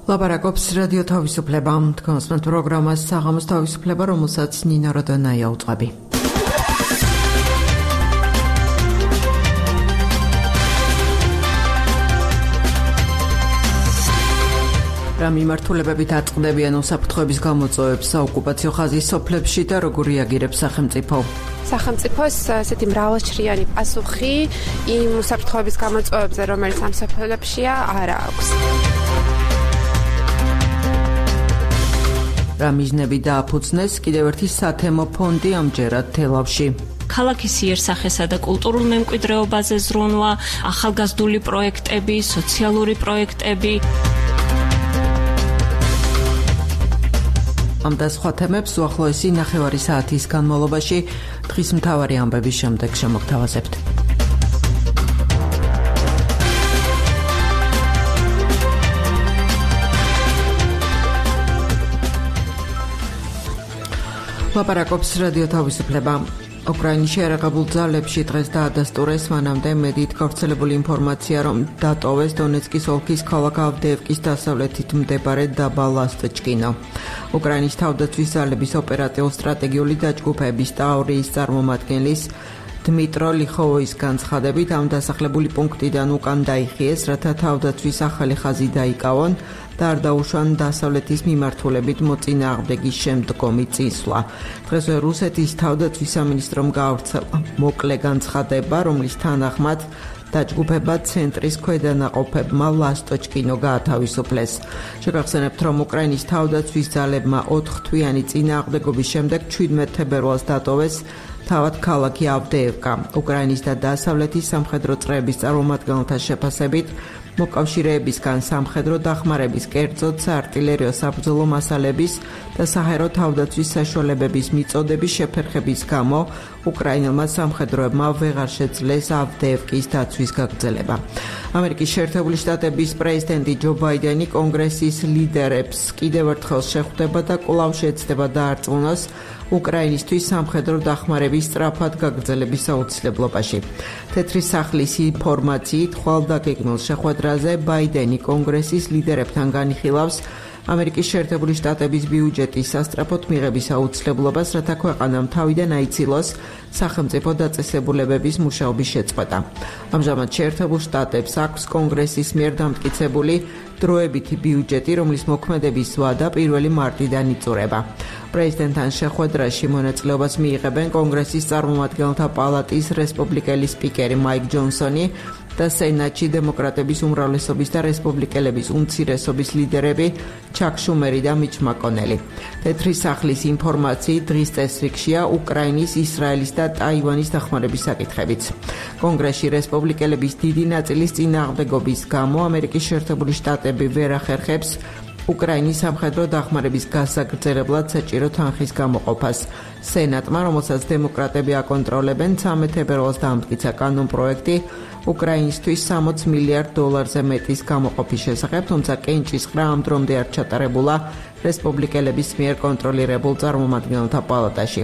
ლაპარაკობს რადიო თავისუფლება, თქვენს პროგრამას საღამოს თავისუფლება, რომელსაც ნინა როდონაია უწყები. რა მიმართულებებით აწყდებიან უსაფრთხოების გამოწვევებს საოკუპაციო ხაზის სოფლებში და როგორ რეაგირებს სახელმწიფო? სახელმწიფოს ასეთი მრავალჭრიანი პასუხი იმ უსაფრთხოების გამოწვევებზე, რომელიც ამ სოფლებშია, არ აქვს. რა მიზნები დააფუძნეს კიდევ ერთი სათემო ფონდი ამჯერად თელავში. ქალაქის იერსახესა და კულტურულ მემკვიდრეობაზე ზრუნვა, ახალგაზრდული პროექტები, სოციალური პროექტები. ამ და სხვა თემებს უახლოესი ნახევარი საათის განმავლობაში დღის მთავარი ამბების შემდეგ შემოგთავაზებთ. ლაპარაკობს რადიო თავისუფლება. უკრაინის შეერაღებულ ძალებში დღეს დაადასტურეს მანამდე მედიით გავრცელებული ინფორმაცია, რომ დატოვეს დონეცკის ოლქის ქალაქ ავდეევკის დასავლეთით მდებარე დაბა ლასტოჩკინო. უკრაინის თავდაცვის ძალების ოპერატიულ-სტრატეგიული დაჯგუფების ტაურიის წარმომადგენლის დმიტრო ლიხოვოის განცხადებით, ამ დასახლებული პუნქტიდან უკან დაიხიეს, რათა თავდაცვის ახალი ხაზი დაიკავონ და არ დაუშვან დასავლეთის მიმართულებით მოწინააღმდეგის შემდგომი წინსვლა. დღესვე რუსეთის თავდაცვის სამინისტრომ გაავრცელა მოკლე განცხადება, რომლის თანახმად დაჯგუფება ცენტრის ქვედანაყოფებმა ლასტოჩკინო გაათავისუფლეს. შეგახსენებთ, რომ უკრაინის თავდაცვის ძალებმა 4 თვიანი წინააღმდეგობის შემდეგ 17 თებერვალს დატოვეს თავად ქალაქი ავდეევკა. უკრაინის და დასავლეთის სამხედრო წრეების წარმომადგენელთა შეფასებით, მოკავშირეებისგან სამხედრო დახმარების, კერძოდ საარტილერიო საბრძოლო მასალების და საჰაერო თავდაცვის საშუალებების მიწოდების შეფერხების გამო უკრაინელმა სამხედროებმა ვეღარ შეძლეს ავდეევკის დაცვის გაგრძელება. ამერიკის შეერთებული შტატების პრეზიდენტი ჯო ბაიდენი კონგრესის ლიდერებს კიდევ ერთხელ შეხვდება და კვლავ შეეცდება დაარწმუნოს უკრაინისთვის სამხედრო დახმარების სწრაფად გაგრძელების აუცილებლობაში. თეთრი სახლის ინფორმაციით, ხვალდაგეგმილ შეხვედრაზე ბაიდენი კონგრესის ლიდერებთან განიხილავს ამერიკის შეერთებული შტატების ბიუჯეტის სასწრაფოდ მიღების აუცილებლობას, რათა ქვეყანამ თავიდან აიცილოს სახელმწიფო დაწესებულებების მუშაობის შეწყვეტა. ამჟამად შეერთებულ შტატებს აქვს კონგრესის მიერ დამტკიცებული დროებითი ბიუჯეტი, რომლის მოქმედების ვადა 1 მარტიდან იწურება. პრეზიდენტთან შეხვედრაში მონაწილეობას მიიღებენ კონგრესის წარმომადგენელთა პალატის რესპუბლიკელი სპიკერი მაიკ ჯონსონი და სენატში დემოკრატების უმრავლესობის და რესპუბლიკელების უმცირესობის ლიდერები ჩაკ შუმერი და მიჩ მაკონელი. თეთრი სახლის ინფორმაციით, დღის წესრიგშია უკრაინის, ისრაელის და ტაივანის დახმარების საკითხებიც. კონგრესში რესპუბლიკელების დიდი ნაწილის წინააღმდეგობის გამო ამერიკის შეერთებული შტატები ვერ ახერხებს უკრაინის სამხედრო დახმარების გასაგრძელებლად საჭირო თანხის გამოყოფას. სენატმა, რომელსაც დემოკრატები აკონტროლებენ, 13 თებერვალს დაამტკიცა კანონპროექტი უკრაინისთვის $60 მილიარდ მეტის გამოყოფის შესახებ, თუმცა კენჭისყრა ამ დრომდე არ ჩატარებულა რესპუბლიკელების მიერ კონტროლირებულ წარმომადგენელთა პალატაში.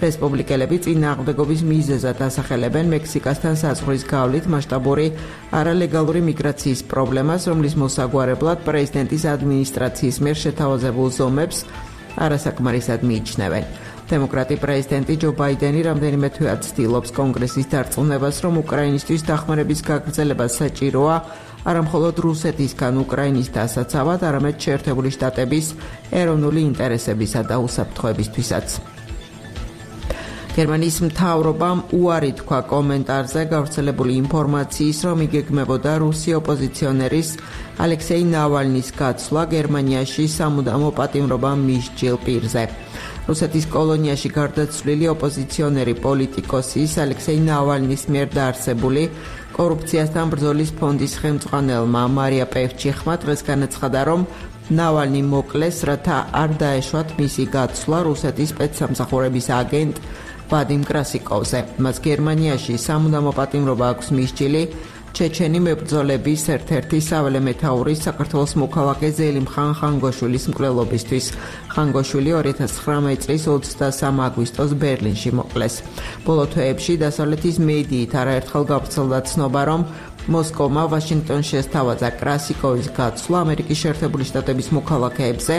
რესპუბლიკელები წინააღმდეგობის მიზეზად ასახელებენ მექსიკასთან საზღვრის გავლით მასშტაბური არალეგალური მიგრაციის პრობლემას, რომლის მოსაგვარებლად პრეზიდენტის ადმინისტრაციის მიერ შეთავაზებულ ზომებს არასაკმარისად მიიჩნევენ. დემოკრატი პრეზიდენტი ჯო ბაიდენი რამდენიმე თვეად ცდილობს კონგრესის დარწმუნებას, რომ უკრაინისთვის დახმარების გაგრძელება საჭიროა არა მხოლოდ რუსეთისგან უკრაინის დასაცავად, არამედ შეერთებული შტატების ეროვნული ინტერესებისა და უსაფრთხოებისთვისაც. გერმანიის მთავრობამ უარი თქვა კომენტარზე გავრცელებული ინფორმაციის, რომ იგეგმებოდა რუსი ოპოზიციონერის ალექსეი ნავალნის გაცვლა გერმანიაში სამუდამო პატიმრობა მისჯილ პირზე. რუსეთის კოლონიაში გარდაცვლილი ოპოზიციონერი პოლიტიკოსის ალექსეი ნავალნის მიერ დაარსებული კორუფციასთან ბრძოლის ფონდის ხელმძღვანელმა მარია პევჩიხმა დღეს განაცხადა, რომ ნავალნი მოკლეს, რათა არ დაეშვათ მისი გაცვლა რუსეთის სპეცსამსახურების აგენტ ვადიმ კრასიკოვზე. მას გერმანიაში სამუდამო პატიმრობა აქვს მისჯილი ჩეჩენი მებრძოლების ერთ-ერთი საველე მეთაურის საქართველოს მოქალაქე ზელიმხან ხანგოშვილის მკვლელობისთვის. ხანგოშვილი 2019 წლის 23 აგვისტოს ბერლინში მოკლეს. ბოლო თვეებში დასავლეთის მედიით არაერთხელ გავრცელდა ცნობა, რომ მოსკოვმა ვაშინგტონში ესთავაზა კრასიკოვის გაცვლა ამერიკის შეერთებული შტატების მოქალაქეებზე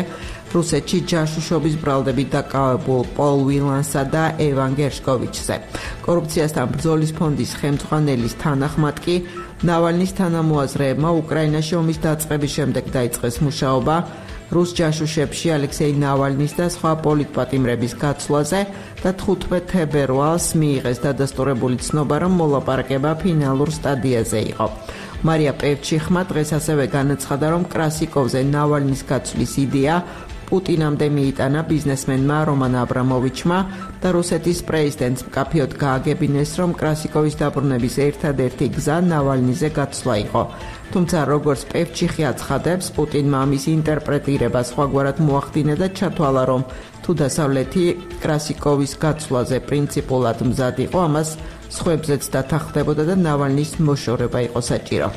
რუსეთში ჯაშუშობის ბრალდებით დაკავებულ პოლ ვილანსა და ევან გერშკოვიჩზე. კორუფციასთან ბრძოლის ფონდის ხელმძღვანელის თანახმად კი ნავალნის თანამოაზრეებმა უკრაინაში ომის დაწყების შემდეგ დაიწყეს მუშაობა რუს ჯაშუშებში ალექსეი ნავალნის და სხვა პოლიტპატიმრების გაცვლაზე და 15 თებერვალს მიიღეს დადასტურებული ცნობა, რომ მოლაპარაკება ფინალურ სტადიაზე იყო. მარია პევჩიხმა დღეს ასევე განაცხადა, რომ კრასიკოვზე ნავალნის გაცვლის იდეა პუტინამდე მიიტანა ბიზნესმენმა რომან აბრამოვიჩმა და რუსეთის პრეზიდენტს მკაფიოდ გააგებინეს, რომ კრასიკოვის დაბრუნების ერთადერთი გზა ნავალნიზე გაცვლა იყო. თუმცა როგორც პევჩიხი აცხადებს, პუტინმა ამის ინტერპრეტირება სხვაგვარად მოახდინა და ჩათვალა, რომ თუ დასავლეთი კრასიკოვის გაცვლაზე პრინციპულად მზად იყო, ამას სხვებზეც დათანხმდებოდა და ნავალნის მოშორება იყო საჭირო.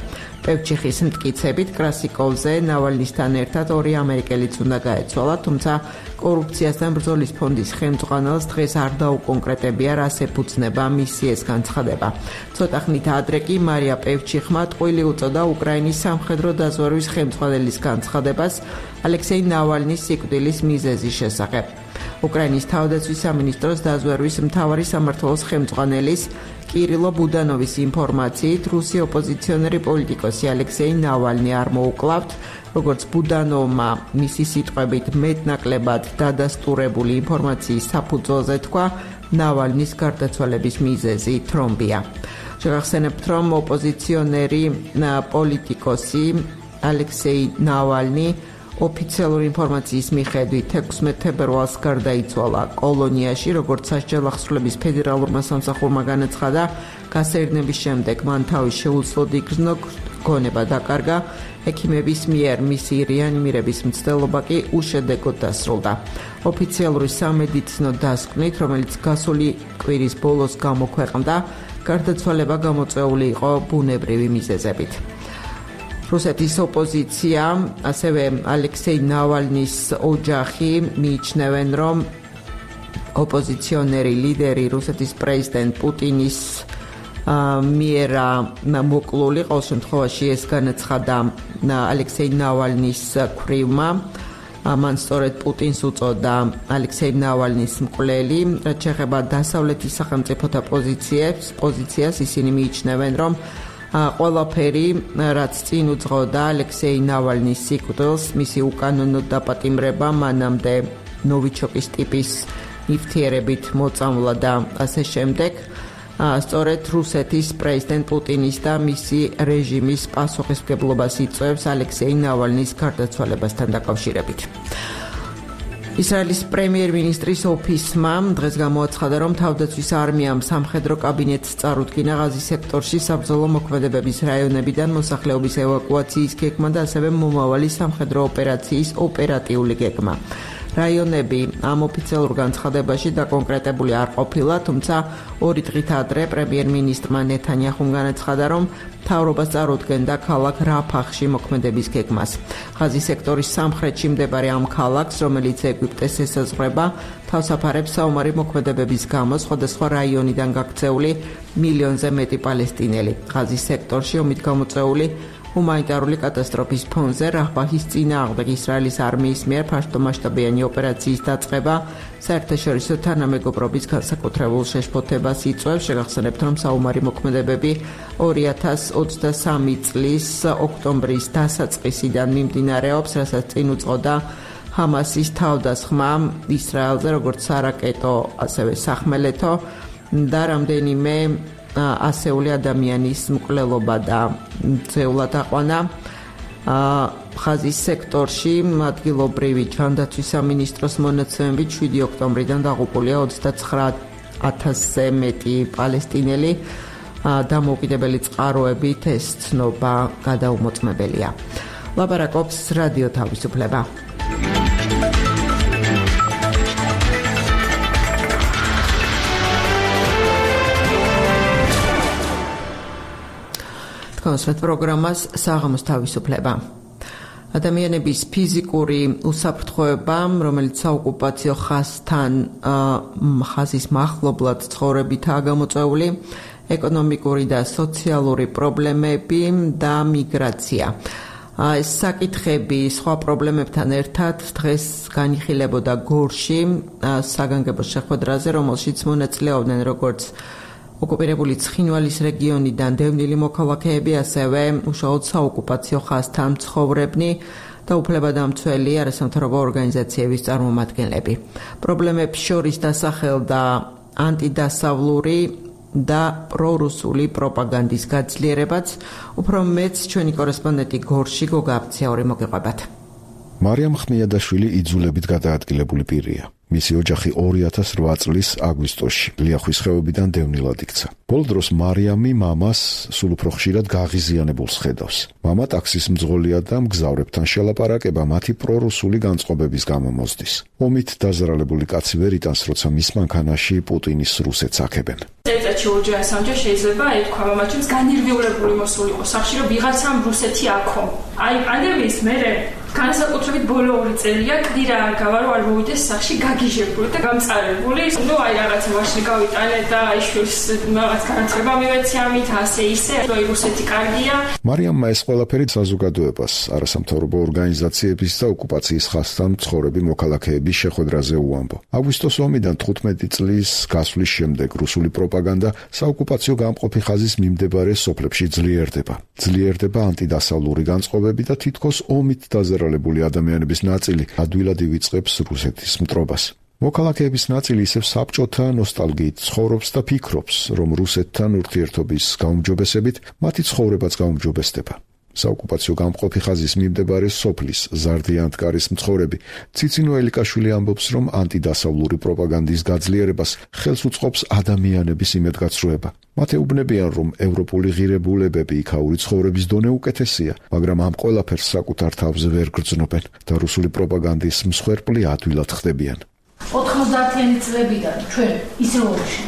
პევჩიხის მტკიცებით კრასიკოვზე ნავალნისთან ერთად 2 ამერიკელიც უნდა გაეცვალა, თუმცა კორუფციასთან ბრძოლის ფონდის ხელმძღვანელს დღეს არ დაუკონკრეტებია, რას ეფუძნება მისი ეს განცხადება. ცოტა ხნით ადრე კი მარია პევჩიხმა ტყვილი უწოდა უკრაინის სამხედრო დაზვერვის ხელმძღვანელის განცხადებას ალექსეი ნავალნის სიკვდილის მიზეზის შესახებ. უკრაინის თავდაცვის სამინისტროს დაზვერვის მთავარი სამმართველოს ხელმძღვანელის კირილო ბუდანოვის ინფორმაციით რუსი ოპოზიციონერი პოლიტიკოსი ალექსეი ნავალნი არ მოუკლავთ, როგორც ბუდანოვმა მისი სიტყვებით მეტნაკლებად დადასტურებული ინფორმაციის საფუძველზე თქვა, ნავალნის გარდაცვალების მიზეზი თრომბია. შეგახსენებთ, რომ ოპოზიციონერი პოლიტიკოსი ალექსეი ნავალნი ოფიციალური ინფორმაციის მიხედვით 16 თებერვალს გარდაიცვალა კოლონიაში, როგორც სასჯელ ახსრულების ფედერალურმა სამსახურმა განაცხადა, გასაერნების შემდეგ მან თავის შეუძლოდ იგრძნო, გონება დაკარგა, ექიმების მიერ მისი რეანიმირების მცდელობა კი უშედეგოდ დასრულდა. ოფიციალური სამედიცინო დასკვნით, რომელიც გასული კვირის ბოლოს გამოქვეყნდა, გარდაცვალება გამოწვეული იყო ბუნებრივი მიზეზებით. რუსეთის ოპოზიცია, ასევე ალექსეი ნავალნის ოჯახი მიიჩნევენ, რომ ოპოზიციონერი ლიდერი რუსეთის პრეზიდენტ პუტინის მიერ მოკლული, ყოველ შემთხვევაში ეს განაცხადა ალექსეი ნავალნის ქვრივმა. მან სწორედ პუტინს უწოდა ალექსეი ნავალნის მკვლელი, რაც შეეხება დასავლეთის სახელმწიფოთა პოზიციას, ისინი მიიჩნევენ, რომ ყველაფერი, რაც წინ უძღოდა ალექსეი ნავალნის სიკვდილს, მისი უკანონო დაპატიმრება, მანამდე ნოვიჩოკის ტიპის ნივთიერებით მოწამვლა და ასე შემდეგ, სწორედ რუსეთის პრეზიდენტ პუტინის და მისი რეჟიმის პასუხისმგებლობას იწვევს ალექსეი ნავალნის გარდაცვალებასთან დაკავშირებით. ისრაელის პრემიერ-მინისტრის ოფისმა დღეს გამოაცხადა, რომ თავდაცვის არმიამ სამხედრო კაბინეტს წარუდგინა ღაზის სექტორში საბრძოლო მოქმედებების რაიონებიდან მოსახლეობის ევაკუაციის გეგმა და ასევე მომავალი სამხედრო ოპერაციის ოპერატიული გეგმა. რაიონები ამ ოფიციალურ განცხადებაში დაკონკრეტებული არ ყოფილა, თუმცა 2 დღით ადრე პრემიერ-მინისტრმა ნეთანიაჰუმ განაცხადა, რომ მთავრობას წარუდგენდა ქალაქ რაფახში მოქმედების გეგმას. ღაზის სექტორის სამხრეთში მდებარე ამ ქალაქს, რომელიც ეგვიპტეს ესაზღვრება, თავს აფარებს საომარი მოქმედებების გამო სხვადასხვა რაიონიდან გაქცეული მილიონზე მეტი პალესტინელი. ღაზის სექტორში ომით გამოწვეული ჰუმანიტარული კატასტროფის ფონზე რაფაჰის წინააღმდეგ ისრაელის არმიის მიერ ფართომასშტაბიანი ოპერაციის დაწყება საერთაშორისო თანამეგობრობის განსაკუთრებულ შეშფოთებას იწვევს. შეგახსენებთ, რომ საომარი მოქმედებები 2023 წლის ოქტომბრის დასაწყისიდან მიმდინარეობს, რასაც წინ უძღოდა ჰამასის თავდასხმა ისრაელზე, როგორც სარაკეტო, ასევე სახმელეთო და რამდენიმე ასეული ადამიანის მკვლელობა და ძევლად აყვანა. ღაზის სექტორში ადგილობრივი ჯანდაცვის სამინისტროს მონაცემებით 7 ოქტომბრიდან დაღუპულია 29,000-ზე მეტი პალესტინელი. დამოუკიდებელი წყაროებით ეს ცნობა გადაუმოწმებელია. ლაპარაკობს რადიო თავისუფლება. კონსერტ პროგრამას საღამოს თავისუფლება. ადამიანების ფიზიკური უსაფრთხოება, რომელიც საოკუპაციო ხაზის მახლობლად ცხოვრებითაა გამოწვეული, ეკონომიკური და სოციალური პრობლემები და მიგრაცია. ეს საკითხები სხვა პრობლემებთან ერთად დღეს განიხილებოდა გორში საგანგებო შეხვედრაზე, რომელშიც მონაწილეობდნენ როგორც ოკუპირებული ცხინვალის რეგიონიდან დევნილი მოქალაქეები, ასევე უშუალოდ საოკუპაციო ხაზთან მცხოვრებნი და უფლებადამცველი არასამთავრობო ორგანიზაციების წარმომადგენლები. პრობლემებს შორის დასახელდა ანტიდასავლური და პრორუსული პროპაგანდის გაძლიერებაც. უფრო მეც ჩვენი კორესპონდენტი გორში გოგა აბცაური მოგიყვებათ. მარიამ ხმიადაშვილი იძულებით გადაადგილებული პირია. მისი ოჯახი 2008 წლის აგვისტოში ლიახვის ხეობიდან დევნილად იქცა. ბოლო დროს მარიამი მამას სულ უფრო ხშირად გაღიზიანებულს ხედავს. მამა ტაქსის მძღოლია და მგზავრებთან შელაპარაკება მათი პრორუსული განწყობების გამო მოსდის. ომით დაზარალებული კაცი ვერ იტანს, როცა მის მანქანაში პუტინის რუსეთს აქებენ. წელიწადში ორჯერ ასამჯერ შეიძლება ეთქვა მამაჩემს განირვიულებული მოსული იყო სახში, რომ ვიღაცამ რუსეთი აქო. აი პანდემიის მერე განსაკუთრებით ბოლო 2 წელია კიდე არ გავა რომ არ მოვიდეს სახში გაგიჟებული და გამწარებული. ნუ აი რაღაცა მაშინ გავიტანე და აი შვილს რაღაც განათლება მივეცი ამით ასე ისე. აი რუსეთი კარგია. მარიამმა ეს ყველაფერი საზოგადოებას, არასამთავრობო ორგანიზაციების და ოკუპაციის ხაზთან მცხოვრები მოქალაქეების შეხვედრაზე უამბო. აგვისტოს ომიდან 15 წლის გასვლის შემდეგ რუსული პროპაგანდა საოკუპაციო გამყოფი ხაზის მიმდებარე სოფლებში ძლიერდება. ძლიერდება ანტიდასავლური განწყობები და თითქოს ომით დაზარალებული ადამიანების ნაწილი ადვილად ივიწყებს რუსეთის მტრობას. მოქალაქეების ნაწილი ისევ საბჭოთა ნოსტალგიით ცხოვრობს და ფიქრობს, რომ რუსეთთან ურთიერთობის გაუმჯობესებით მათი ცხოვრებაც გაუმჯობესდება. საოკუპაციო გამყოფი ხაზის მიმდებარე სოფლის ზარდიანთკარის მცხოვრები ციცინო ელიკაშვილი ამბობს, რომ ანტიდასავლური პროპაგანდის გაძლიერებას ხელს უწყობს ადამიანების იმედგაცრუება. მათ ეუბნებიან, რომ ევროპული ღირებულებები იქაური ცხოვრების დონე უკეთესია, მაგრამ ამ ყველაფერს საკუთარ თავზე ვერ გრძნობენ და რუსული პროპაგანდის მსხვერპლი ადვილად ხდებიან. 90-იანი წლებიდან ჩვენ ისე ომში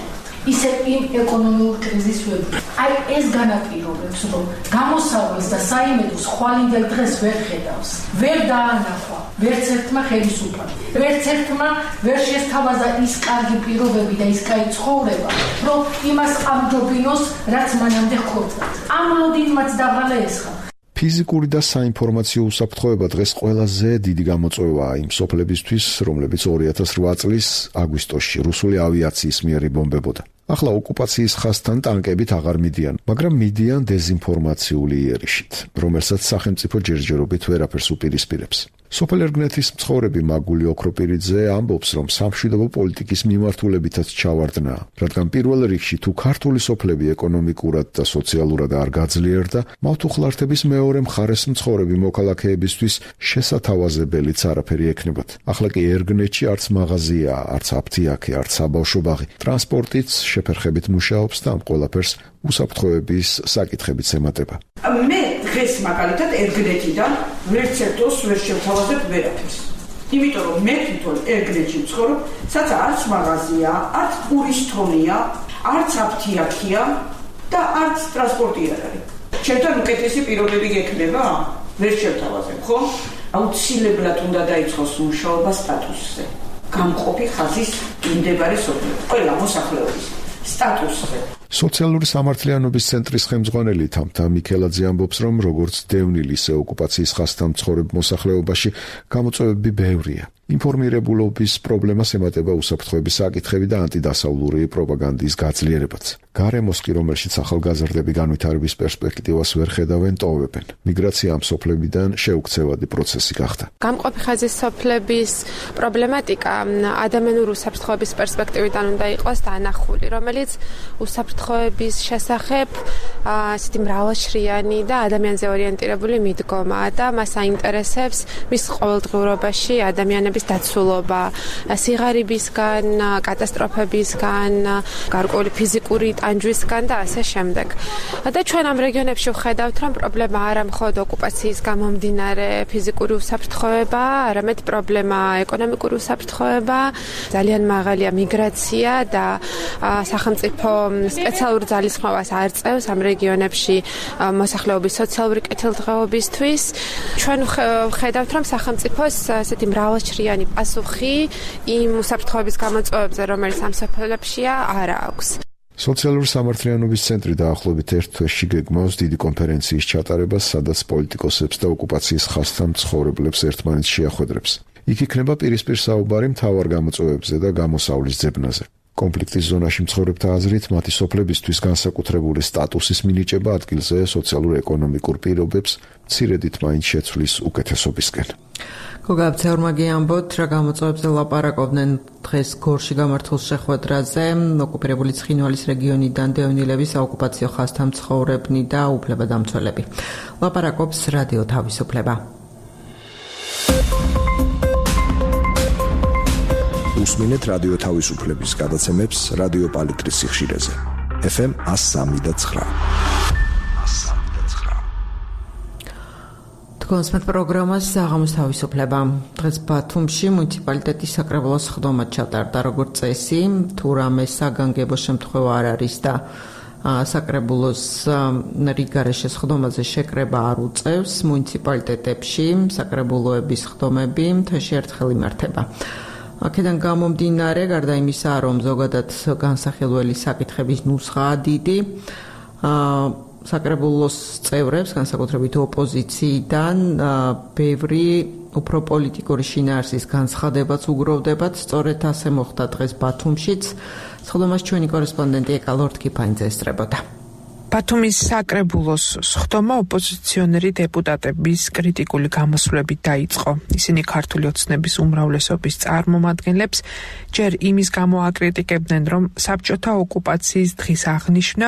ისე იმ ეკონომიურ კრიზისს ვეძებთ. აი ეს განაპირობებს, რომ გამოსავალს და საიმედოს ხვალინდელ დღეს ვერ ხედავს. ვერ დაანახვა ვერც ერთმა ხელისუფლება. ვერც ერთმა ვერ შესთავაზა ის კარგი პირობები და ის კაი ცხოვრება, რომ იმას ამჯობინოს, რაც მანამდე ჰქონდა. ამ ლოდინმაც დაღალა ესხა. ფიზიკური და საინფორმაციო უსაფრთხოება დღეს ყველაზე დიდი გამოწვევაა იმ სოფლებისთვის, რომლებიც 2008 წლის აგვისტოში რუსული ავიაციის მიერ იბომბებოდა. ახლა ოკუპაციის ხაზთან ტანკებით აღარ მიდიან, მაგრამ მიდიან დეზინფორმაციული იერიშით, რომელსაც სახელმწიფო ჯერჯერობით ვერაფერს უპირისპირებს. სოფელ ერგნეთის მცხოვრები მაგული ოქროპირიძე ამბობს, რომ სამშვიდობო პოლიტიკის მიმართულებითაც ჩავარდნა, რადგან პირველ რიგში თუ ქართული სოფლები ეკონომიკურად და სოციალურად არ გაძლიერდა, მათ უხლართების მეორე მხარეს მცხოვრები მოქალაქეებისთვის შესათავაზებელიც არაფერი ექნებათ. ახლა კი ერგნეთში არც მაღაზია, არც აფთიაქი, არც საბავშვო ბაღი, ტრანსპორტიც შეფერხებით მუშაობს და ამ ყველაფერს უსაფრთხოების საკითხებიც ემატება. მე დღეს მაგალითად ერგნეთიდან ვერც ერთოს ვერ შევთავაზებ ვერაფერს. იმიტომ რომ მე თვითონ ერგნეთში ვცხოვრობ, სადაც არც მაღაზია, არც პურის თონია, არც აფთიაქია და არც ტრანსპორტი არ არის. ჩემთან უკეთესი პირობები გექნება? ვერ შევთავაზებ, ხო? აუცილებლად უნდა დაიწყოს მუშაობა სტატუსზე. გამყოფი ხაზის მიმდებარე სოფლებში. ყველა მოსახლეობის სტატუსზე. სოციალური სამართლიანობის ცენტრის ხელმძღვანელი თამთა მიქელაძე ამბობს, რომ როგორც დევნილი, ისე ოკუპაციის ხაზთან მცხოვრებ მოსახლეობაში გამოწვევები ბევრია. ინფორმირებულობის პრობლემას ემატება უსაფრთხოების საკითხები და ანტიდასავლური პროპაგანდის გაძლიერებაც. გარემოს კი, რომელშიც ახალგაზრდები განვითარების პერსპექტივას ვერ ხედავენ, ტოვებენ. მიგრაცია ამ სოფლებიდან შეუქცევადი პროცესი გახდა. გამყოფი ხაზის სოფლების პრობლემატიკა ადამიანური უსაფრთხოების პერსპექტივიდან უნდა იყოს დანახული, რომელიც უსაფრთხოების შესახებ ასეთი მრავალშრიანი და ადამიანზე ორიენტირებული მიდგომაა და მას აინტერესებს მის ყოველდღიურობაში ადამიანების დაცულობა, სიღარიბისგან, კატასტროფებისგან, გარკვეული ფიზიკური ტანჯვისგან და ასე შემდეგ. და ჩვენ ამ რეგიონებში ვხედავთ, რომ პრობლემა არა მხოლოდ ოკუპაციის გამომდინარე ფიზიკური უსაფრთხოება, არამედ პრობლემა ეკონომიკური უსაფრთხოება, ძალიან მაღალია მიგრაცია და სახელმწიფო სპეციალურ ძალისხმევას არ წევს ამ რეგიონებში მოსახლეობის სოციალური კეთილდღეობისთვის. ჩვენ ვხედავთ, რომ სახელმწიფოს ასეთი მრავალშრიანი პასუხი იმ უსაფრთხოების გამოწვევებზე, რომელიც ამ სოფლებშია, არ აქვს. სოციალური სამართლიანობის ცენტრი დაახლოებით ერთ თვეში გეგმავს დიდი კონფერენციის ჩატარებას, სადაც პოლიტიკოსებს და ოკუპაციის ხაზთან მცხოვრებლებს ერთმანეთს შეახვედრებს. იქ იქნება პირისპირ საუბარი მთავარ გამოწვევებზე და გამოსავლის ძებნაზე. კონფლიქტის ზონაში მცხოვრებთა აზრით, მათი სოფლებისთვის განსაკუთრებული სტატუსის მინიჭება ადგილზე სოციალურ-ეკონომიკურ პირობებს მცირედით მაინც შეცვლის უკეთესობისკენ. გოგა აბცეურმაგი ამბობთ, რა გამოწვევებზე ლაპარაკობდნენ დღეს გორში გამართულ შეხვედრაზე, ოკუპირებული ცხინვალის რეგიონიდან დევნილების საოკუპაციო ხაზთან მცხოვრებნი და უფლებადამცველები. ლაპარაკობს რადიო თავისუფლება. უსმინეთ რადიო თავისუფლების გადაცემებს რადიო პალიტრის სიხშირეზე. FM 103.9. კონსმეთ პროგრამას საღამოს თავისუფლება. დღეს ბათუმში მუნიციპალიტეტის საკრებულოს ხდომა ჩატარდა, როგორც წესი, თუ რამე საგანგებო შემთხვევა არ არის და საკრებულოს რიგარეშეს ხდომაზე შეკრება არ უწევს, მუნიციპალიტეტებში საკრებულოების ხდომები თვეში ერთხელ იმართება. აქედან გამომდინარე, გარდა იმისა, რომ ზოგადად განსახილველი საკითხების ნუსხაა დიდი, საკრებულოს წევრებს, განსაკუთრებით ოპოზიციიდან, ბევრი უფრო პოლიტიკური შინაარსის განცხადებაც უგროვდებათ. სწორედ ასე მოხდა დღეს ბათუმშიც. სხდომას ჩვენი კორესპონდენტი ეკა ლორდ-კიფაინძე ესწრებოდა. ბათუმის საკრებულოს სხდომა ოპოზიციონერი დეპუტატების კრიტიკული გამოსვლებით დაიწყო. ისინი ქართული ოცნების უმრავლესობის წარმომადგენლებს ჯერ იმის გამო აკრიტიკებდნენ, რომ საბჭოთა ოკუპაციის დღის აღნიშვნა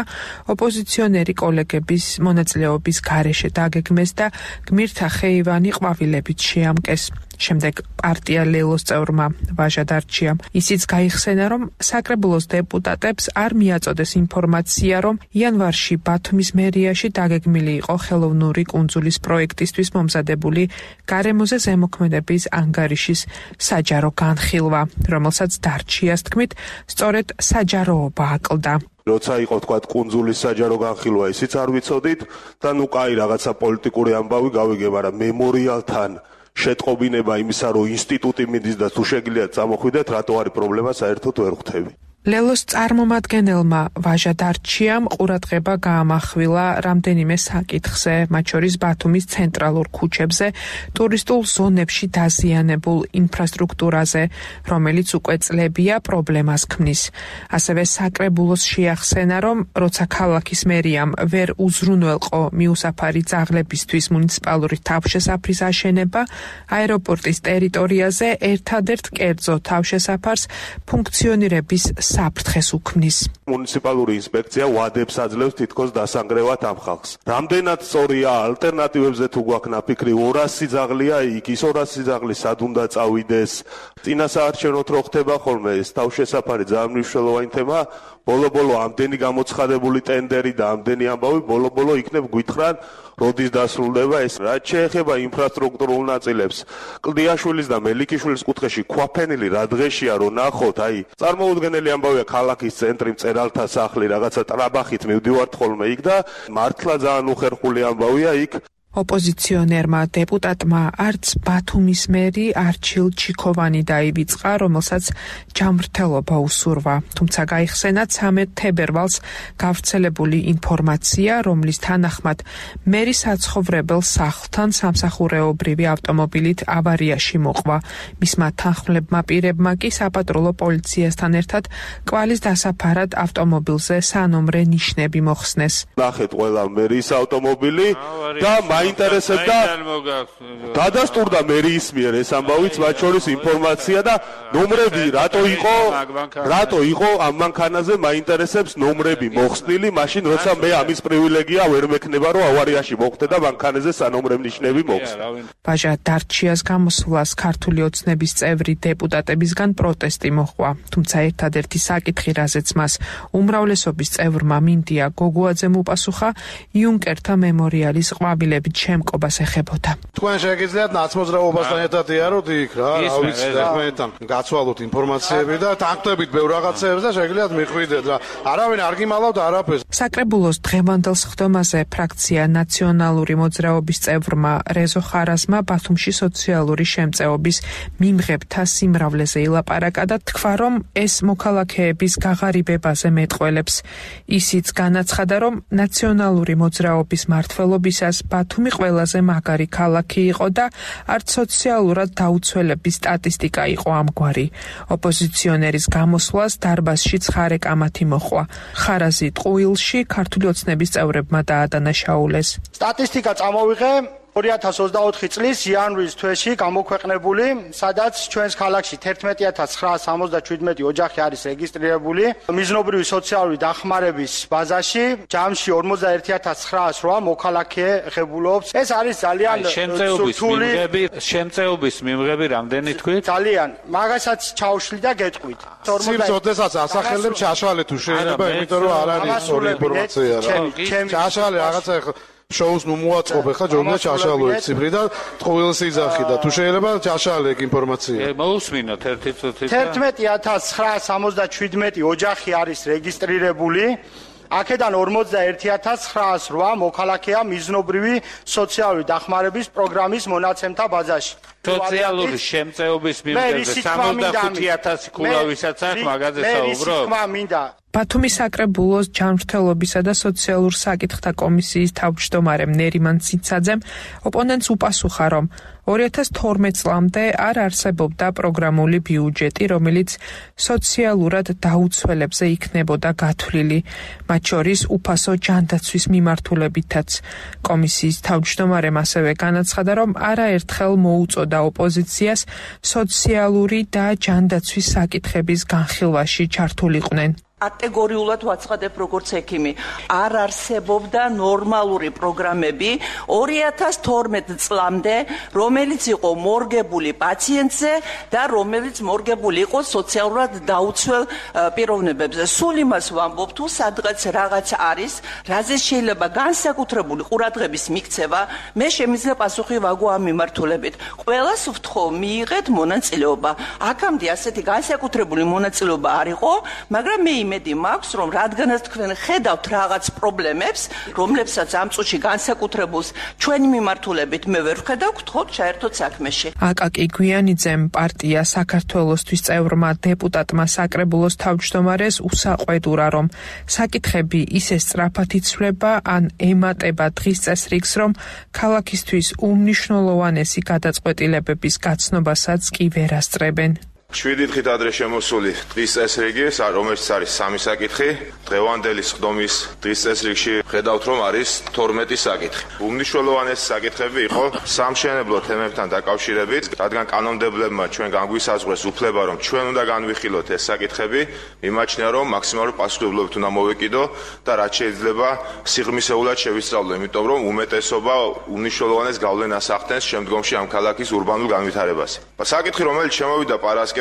ოპოზიციონერი კოლეგების მონაწილეობის გარეშე დაგეგმეს და გმირთა ხეივანი ყვავილებით შეამკეს. შემდეგ პარტია ლელოს წევრმა ვაჟა დარჩიამ ისიც გაიხსენა, რომ საკრებულოს დეპუტატებს არ მიაწოდეს ინფორმაცია, რომ იანვარში ბათუმის მერიაში დაგეგმილი იყო ხელოვნური კუნძულის პროექტისთვის მომზადებული გარემოზე ზემოქმედების ანგარიშის საჯარო განხილვა, რომელსაც დარჩიას თქმით, სწორედ საჯაროობა აკლდა. როცა იყო თქვა კუნძულის საჯარო განხილვა, ისიც არ ვიცოდით და ნუ კაი რაღაცა პოლიტიკური ამბავი გავიგე, მაგრამ მემორიალთან შეტყობინება იმისა, რომ ინსტიტუტი მიდის და თუ შეგიძლიათ წამოხვიდეთ, რატო არის პრობლემა, საერთოდ ვერ ხვდები. ლელოს წარმომადგენელმა ვაჟა დარჩიამ ყურადღება გაამახვილა რამდენიმე საკითხზე, მათ შორის ბათუმის ცენტრალურ ქუჩებზე, ტურისტულ ზონებში დაზიანებულ ინფრასტრუქტურაზე, რომელიც უკვე წლებია პრობლემას ქმნის. ასევე საკრებულოს შეახსენა, რომ როცა ქალაქის მერიამ ვერ უზრუნველყო მიუსაფარი ძაღლებისთვის მუნიციპალური თავშესაფრის აშენება, აეროპორტის ტერიტორიაზე ერთადერთ კერძო თავშესაფარს ფუნქციონირების საფრთხეს უქმნის. მუნიციპალური ინსპექცია ვადებს აძლევს თითქოს დასანგრევად ამ ხალხს. რამდენად სწორია ალტერნატივებზე თუ გვაქვს ნაფიქრი 200 სიძაღლია იქ, ის 200 სიძაღლი სად უნდა წავიდეს. წინასაარჩევნოდ რო ხდება ხოლმე ეს თავშესაფარი ძალიან მნიშვნელოვანი თემა. ბოლო-ბოლო ამდენი გამოცხადებული ტენდერი და ამდენი ამბავი ბოლო-ბოლო იქნებ გვითხრან როდის დასრულდება ეს. რაც შეეხება ინფრასტრუქტურულ ნაწილებს, კლდიაშვილის და მელიქიშვილის კუთხეში ქვაფენილი რა დღეშია რომ ნახოთ, აი წარმოუდგენელი ამბავია ქალაქის ცენტრი მწერალთა სახლი რაღაცა ტრაბახით მივდივართ ხოლმე იქ და მართლა ძალიან უხერხული ამბავია იქ. ოპოზიციონერმა დეპუტატმა არც ბათუმის მერი არჩილ ჩიქოვანი დაივიწყა, რომელსაც ჯანმრთელობა უსურვა. თუმცა გაიხსენა 13 თებერვალს გავრცელებული ინფორმაცია, რომლის თანახმად მერი საცხოვრებელ სახლთან სამსახურეობრივი ავტომობილით ავარიაში მოყვა. მისმა თანხმლებმა პირებმა კი საპატრულო პოლიციასთან ერთად კვალის დასაფარად ავტომობილზე სანომრე ნიშნები მოხსნეს. ნახეთ ყველა მერის ავტომობილი და მაინტერესებდა დადასტურდა მერიის მიერ ეს ამბავიც, მათ შორის ინფორმაცია და ნომრები რატო იყო ამ მანქანაზე მაინტერესებს ნომრები მოხსნილი, მაშინ როცა მე ამის პრივილეგია ვერ მექნება რომ ავარიაში მოხვდე და მანქანაზე სანომრებ ნიშნები მოხსნე. ვაჟა დარჩიას გამოსვლას ქართული ოცნების წევრი დეპუტატებისგან პროტესტი მოჰყვა, თუმცა ერთადერთი საკითხი, რაზეც მას უმრავლესობის წევრმა მინდია გოგუაძემ უპასუხა, იუნკერთა მემორიალის ყვავილების დაახლოებით შემკობას ეხებოდა. თქვენ შეგიძლიათ ნაცმოძრაობასთან ერთად იაროთ იქ რა, ავიცი თქვენთან გაცვალოთ ინფორმაციები და თანხმდებით ბევრ რაღაცეებს და შეგიძლიათ მიხვიდეთ რა. არავინ არ გიმალავთ არაფერს. საკრებულოს დღევანდელ სხდომაზე ფრაქცია ნაციონალური მოძრაობის წევრმა რეზო ხარაზმა ბათუმში სოციალური შემწეობის მიმღებთა სიმრავლეზე ილაპარაკა და თქვა, რომ ეს მოქალაქეების გაღარიბებაზე მეტყველებს. ისიც განაცხადა, რომ ნაციონალური მოძრაობის მმართველობისას ბათუმი ყველაზე მაგარი ქალაქი იყო და არც სოციალურად დაუცველების სტატისტიკა იყო ამგვარი. ოპოზიციონერის გამოსვლას დარბაზში ცხარე კამათი მოჰყვა. ხარაზი ტყუილში ქართული ოცნების წევრებმა დაადანაშაულეს. სტატისტიკა წამოვიღე 2024 წლის იანვრის თვეში გამოქვეყნებული, სადაც ჩვენს ქალაქში 11977 ოჯახი არის რეგისტრირებული, მიზნობრივი სოციალური დახმარების ბაზაში ჯამში 41908 მოქალაქე ღებულობს. ეს არის ძალიან შემწეობის მიმღები რამდენი თქვით? ძალიან. მაგასაც ჩაუშლი და გეტყვით. სიძოდესაც ასახელებ ჩაშალე თუ შეიძლება, იმიტომ რომ არ არის სწორი ინფორმაცია რა. ჩაშალე რაღაცა შოუს ნუ მოაწყობე ხა ჯობდა ჩაშალო ეს ციფრი და ტყუილს იძახი და თუ შეიძლება ჩაშალე ინფორმაცია. მოусმინოთ ერთი წუთით. 11977 ოჯახი არის რეგისტრირებული. აქედან 41908 მოქალაქეა მიზნობრივი სოციალური დახმარების პროგრამის მონაცემთა ბაზაში. სოციალური შემწეობის მიმღებზე 75000 ქულავისაც აქვს მაგაზე საუბრობ. ბათუმის საკრებულოს ჯანმრთელობისა და სოციალურ საკითხთა კომისიის თავმჯდომარემ ნერიმან ციცაძემ ოპონენტს უპასუხა, რომ 2012 წლამდე არ არსებობდა პროგრამული ბიუჯეტი, რომელიც სოციალურად დაუცველებზე იქნებოდა გათვლილი, მათ შორის უფასო ჯანდაცვის მიმართულებითაც. კომისიის თავმჯდომარემ ასევე განაცხადა, რომ არაერთხელ მოუწოდა ოპოზიციას სოციალური და ჯანდაცვის საკითხების განხილვაში ჩართულიყვნენ. კატეგორიულად ვაცხადებ როგორც ექიმი. არ არსებობდა ნორმალური პროგრამები 2012 წლამდე, რომელიც იყო მორგებული პაციენტზე და რომელიც მორგებული იყო სოციალურად დაუცველ პიროვნებებზე. სულ იმას ვამბობ, თუ სადღაც რაღაც არის, რაზე შეიძლება განსაკუთრებული ყურადღების მიქცევა, მე შემიძლია პასუხი ვაგო ამ მიმართულებით. ყველას ვთხოვ, მიიღეთ მონაწილეობა. აქამდე ასეთი განსაკუთრებული მონაწილეობა არ იყო, მაგრამ მე იმედი მაქვს, რომ რადგანაც თქვენ ხედავთ რაღაც პრობლემებს, რომლებსაც ამ წუთში განსაკუთრებულს ჩვენი მიმართულებით მე ვერ ვხედავ, გთხოვთ ჩაერთოთ საქმეში. აკაკი გვიანიძემ პარტია საქართველოსთვის წევრმა დეპუტატმა საკრებულოს თავმჯდომარეს უსაყვედურა, რომ საკითხები ისე სწრაფად იცვლება, ან ემატება დღის წესრიგს, რომ ქალაქისთვის უმნიშვნელოვანესი გადაწყვეტილებების გაცნობასაც კი ვერ ასწრებენ. 7 დღით ადრე შემოსული დღის წესრიგი, რომელიც არის 3 საკითხი, დღევანდელი სხდომის დღის წესრიგში ხედავთ, რომ არის 12 საკითხი. უმნიშვნელოვანესი საკითხები იყო სამშენებლო თემებთან დაკავშირებით, რადგან კანონმდებლებმა ჩვენ განგვისაზღვრეს უფლება, რომ ჩვენ უნდა განვიხილოთ ეს საკითხები, მიმაჩნია, რომ მაქსიმალური პასუხისმგებლობით უნდა მოვეკიდო და რაც შეიძლება სიღრმისეულად შევისწავლო, იმიტომ რომ უმეტესობა უმნიშვნელოვანეს გავლენას ახდენს შემდგომში ამ ქალაქის ურბანულ განვითარებას. საკითხი, რომელიც შემოვიდა პარასკევს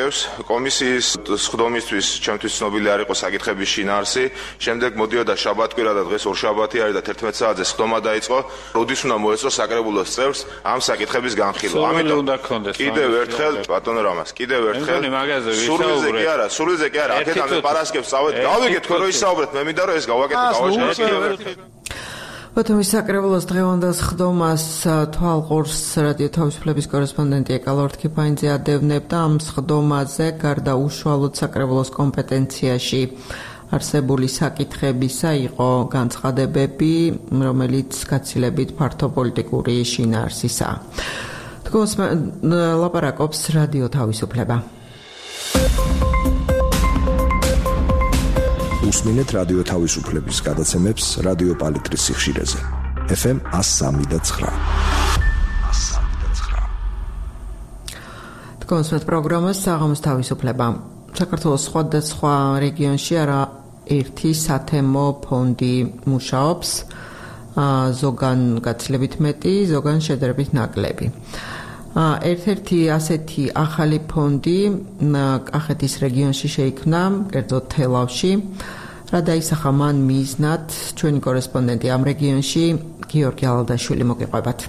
კომისიის სხდომისთვის ჩემთვის ცნობილი არ იყო საკითხების შინაარსი, შემდეგ მოდიოდა შაბათკვირა და დღეს ორშაბათი არის და 11 საათზე სხდომა დაიწყო, როდის უნდა მოეწყო საკრებულოს წევრს ამ საკითხების განხილვა. ამიტომ კიდევ ერთხელ ბატონო რამას, კიდევ ერთხელ სულზე კი არა, აქედან პარასკევს წავედ, გავიგეთ თქვენ რომ ისაუბრეთ, მე მინდა რომ ეს გავაკეთო. ბათუმის საკრებულოს დღევანდელ სხდომას თვალყურს რადიო თავისუფლების კორესპონდენტი ეკალორთ ქიფაინძე ადევნებდა. ამ სხდომაზე გარდა უშუალოდ საკრებულოს კომპეტენციაში არსებული საკითხებისა იყო განცხადებები, რომელიც გაცილებით ფართო პოლიტიკური შინაარსისაა. თქოს ლაპარაკობს რადიო თავისუფლება. უსმინეთ რადიო თავისუფლების გადაცემებს რადიო პალიტრის სიხშირეზე. FM 103.9. თქოს პროგრამას საღამოს თავისუფლება. საქართველოს სხვადასხვა რეგიონში ერთი სათემო ფონდი მუშაობს, ზოგან გაცილებით მეტი, ზოგან შედარებით ნაკლები. ერთ-ერთი ასეთი ახალი ფონდი კახეთის რეგიონში შეიქმნა, კერძოდ თელავში, რა დაისახა მან მიზნად, ჩვენი კორესპონდენტი ამ რეგიონში გიორგი ალადაშვილი მოგიყვებათ.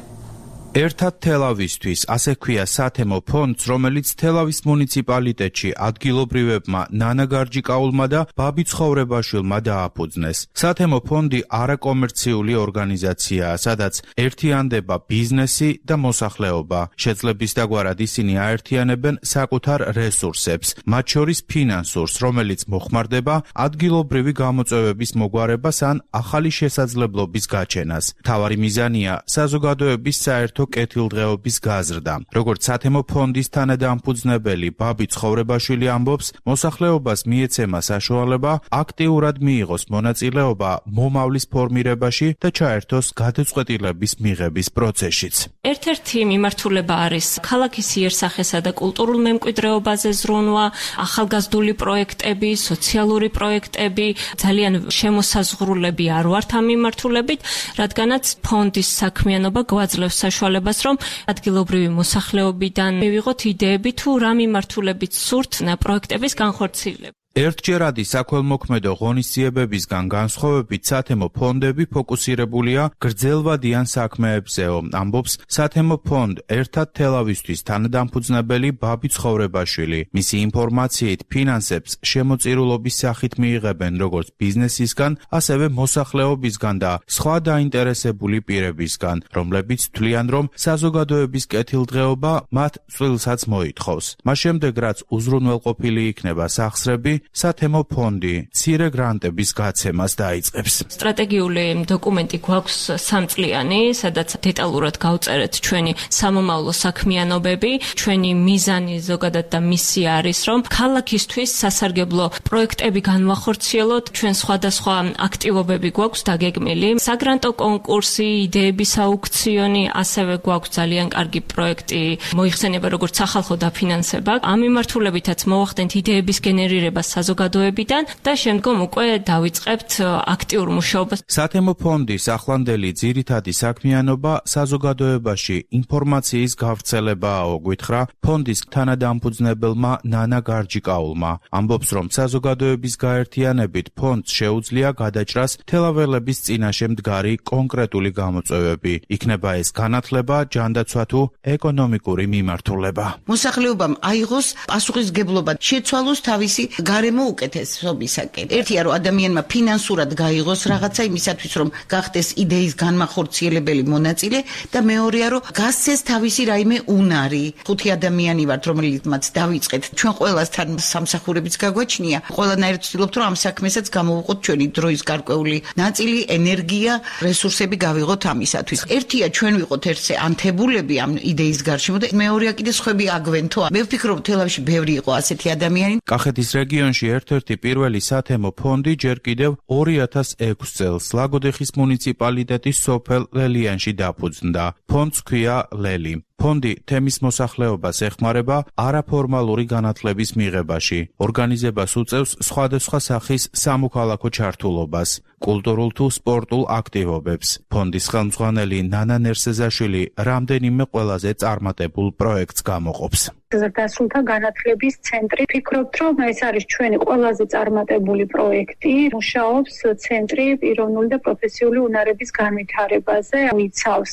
ერთად თელავისთვის, ასე ქვია სათემო ფონდს, რომელიც თელავის მუნიციპალიტეტში ადგილობრივებმა ნანა გარჯიკაულმა და ბაბი ცხოვრებაშვილმა დააფუძნეს. სათემო ფონდი არაკომერციული ორგანიზაციაა, სადაც ერთიანდება ბიზნესი და მოსახლეობა. შეძლების დაგვარად ისინი აერთიანებენ საკუთარ რესურსებს, მათ შორის ფინანსურს, რომელიც მოხმარდება ადგილობრივი გამოწვევების მოგვარებას ან ახალი შესაძლებლობის გაჩენას. მთავარი მიზანია საზოგადოების საერთო კეთილდღეობის გაზრდა. როგორც სათემო ფონდის თანადამფუძნებელი ბაბი ცხოვრებაშვილი ამბობს, მოსახლეობას მიეცემა საშუალება აქტიურად მიიღოს მონაწილეობა მომავლის ფორმირებაში და ჩაერთოს გადაწყვეტილების მიღების პროცესშიც. ერთ-ერთი მიმართულება არის ქალაქის იერსახესა და კულტურულ მემკვიდრეობაზე ზრუნვა, ახალგაზრდული პროექტები, სოციალური პროექტები, ძალიან შემოსაზღვრულები არ ვართ ამ მიმართულებით, რადგანაც ფონდის საქმიანობა გვაძლევს საშუალებას რომ ადგილობრივი მოსახლეობიდან მივიღოთ იდეები თუ რა მიმართულებით სურთ პროექტების განხორციელება. ერთჯერადი საქველმოქმედო ღონისძიებებისგან განსხვავებით სათემო ფონდები ფოკუსირებულია გრძელვადიან საქმეებზეო, ამბობს სათემო ფონდ ერთად თელავისთვის თანადამფუძნებელი ბაბი ცხოვრებაშვილი. მისი ინფორმაციით ფინანსებს შემოწირულობის სახით მიიღებენ როგორც ბიზნესისგან, ასევე მოსახლეობისგან და სხვა დაინტერესებული პირებისგან, რომლებიც თვლიან, რომ საზოგადოების კეთილდღეობა მათ წვლილსაც მოითხოვს. მას შემდეგ, რაც უზრუნველყოფილი იქნება სახსრები, სათემო ფონდი მცირე გრანტების გაცემას დაიწყებს. სტრატეგიული დოკუმენტი გვაქვს 3 წლიანი, სადაც დეტალურად გავწერეთ ჩვენი სამომავლო საქმიანობები, ჩვენი მიზანი ზოგადად და მისია არის, რომ ქალაქისთვის სასარგებლო პროექტები განვახორციელოთ, ჩვენ სხვადასხვა აქტივობები გვაქვს დაგეგმილი, საგრანტო კონკურსი, იდეების აუქციონი, ასევე გვაქვს ძალიან კარგი პროექტი მოიხსენება როგორც სახალხო დაფინანსება. ამ მიმართულებითაც მოვახდენთ იდეების გენერირებას საზოგადოებიდან და შემდგომ უკვე დავიწყებთ აქტიურ მუშაობას. სათემო ფონდის ახლანდელი ძირითადი საქმიანობა საზოგადოებაში ინფორმაციის გავრცელებაა, გვითხრა ფონდის თანადამფუძნებელმა ნანა გარჯიკაულმა. ამბობს, რომ საზოგადოების გაერთიანებით ფონდს შეუძლია გადაჭრას თელაველების წინაშე მდგარი კონკრეტული გამოწვევები. იქნება ეს განათლება, ჯანდაცვა თუ ეკონომიკური მიმართულება. მოსახლეობამ აიღოს პასუხისგებლობა, შეცვალოს თავისი გარემო უკეთესობისაკენ. ერთია რომ ადამიანმა ფინანსურად გაიღოს რაღაცა იმისათვის რომ გახდეს იდეის განმახორციელებელი მონაწილე და მეორეა რომ გასცეს თავისი რაიმე უნარი. 5 ადამიანი ვართ რომელთაც დავიწყეთ. ჩვენ ყველასთან სამსახურებიც გაგვაჩნია. ყველანაირად ვცდილობთ რომ ამ საქმესაც გამოვუყოთ ჩვენი დროის გარკვეული ნაწილი, ენერგია, რესურსები გავიღოთ ამისათვის. ერთია ჩვენ ვიყოთ ერთზე ანთებულები ამ იდეის გარშემო და მეორეა კიდე სხვები აგვენთო. მე ვფიქრობ თელავში ბევრი იყო ასეთი ადამიანი. კახეთის რეგიონში ერთ-ერთი პირველი სათემო ფონდი ჯერ კიდევ 2006 წელს ლაგოდეხის მუნიციპალიტეტის სოფელ ლელიანში დაფუძნდა. ფონდს ქვია ლელი. ფონდი თემის მოსახლეობას ეხმარება არაფორმალური განათლების მიღებაში. ორგანიზებას უწევს სხვადასხვა სახის სამოქალაქო ჩართულობას, კულტურულ თუ სპორტულ აქტივობებს. ფონდის ხელმძღვანელი ნანა ნერსეზაშვილი რამდენიმე ყველაზე წარმატებულ პროექტს გამოყოფს. ზრდასრულთა განათლების ცენტრი. ფიქრობთ, რომ ეს არის ჩვენი ყველაზე წარმატებული პროექტი. მუშაობს ცენტრი პიროვნული და პროფესიული უნარების განვითარებაზე. იცავს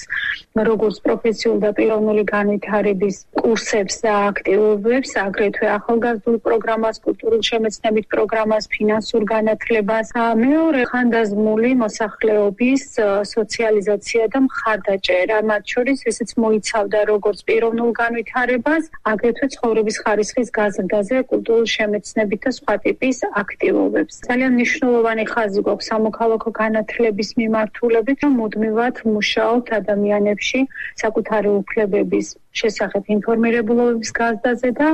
როგორც პროფესიული და პიროვნული განვითარების კურსებს და აქტივობებს, აგრეთვე ახალგაზრდულ პროგრამას, კულტურულ შემეცნებით პროგრამას, ფინანსურ განათლებას. მეორე ხანდაზმული მოსახლეობის სოციალიზაცია და მხარდაჭერა. მათ შორის ესეც მოიცავდა როგორც პიროვნულ განვითარებას, აგრეთვე ცხოვრების ხარისხის გაზრდაზე, კულტურულ შემეცნებით და სხვა ტიპის აქტივობებს. ძალიან მნიშვნელოვანი ხაზი გვაქვს სამოქალაქო განათლების მიმართულებით, რომ მუდმივად მუშაობთ ადამიანებში საკუთარი უფლებების შესახებ ინფორმირებულობის გაზრდაზე და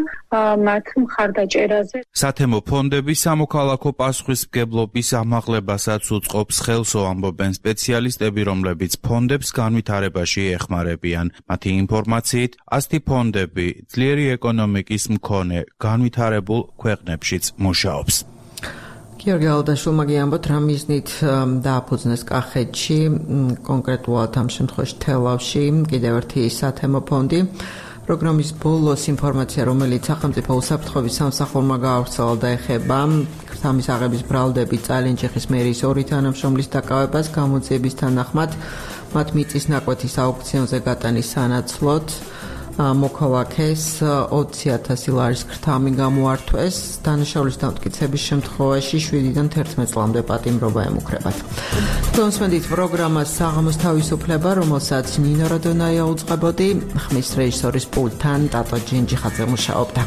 მათ მხარდაჭერაზე. სათემო ფონდები სამოქალაქო პასუხისმგებლობის ამაღლებასაც უწყობს ხელს, ამბობენ სპეციალისტები, რომლებიც ფონდებს განვითარებაში ეხმარებიან. მათი ინფორმაციით, ასეთი ფონდები ძლიერი ეკონომიკის მქონე განვითარებულ ქვეყნებშიც მუშაობს. გიორგი ალადაშვილმა გიამბოთ, რა მიზნით დააფუძნეს კახეთში, კონკრეტულად ამ შემთხვევაში თელავში, კიდევ ერთი სათემო ფონდი. პროგრამის ბოლოს ინფორმაცია, რომელიც სახელმწიფო უსაფრთხოების სამსახურმა გაავრცელა და ეხება სამის აღების ბრალდებით წალენჯიხის მერიის 2 თანამშრომლის დაკავებას გამოძიების თანახმად მათ მიწის ნაკვეთის აუქციონზე გატანის სანაცვლოდ მოქალაქეს 20,000 ლარის ქრთამი გამოართვეს. დანაშაულის დამტკიცების შემთხვევაში 7-დან 11 წლამდე პატიმრობა ემუქრებათ. თუმსმენდით პროგრამას საღამოს თავისუფლება, რომელსაც ნინო როდონაია უწყებოდი, ხმის რეჟისორის პულტთან ტატო ჯენჯიხაძე მუშაობდა.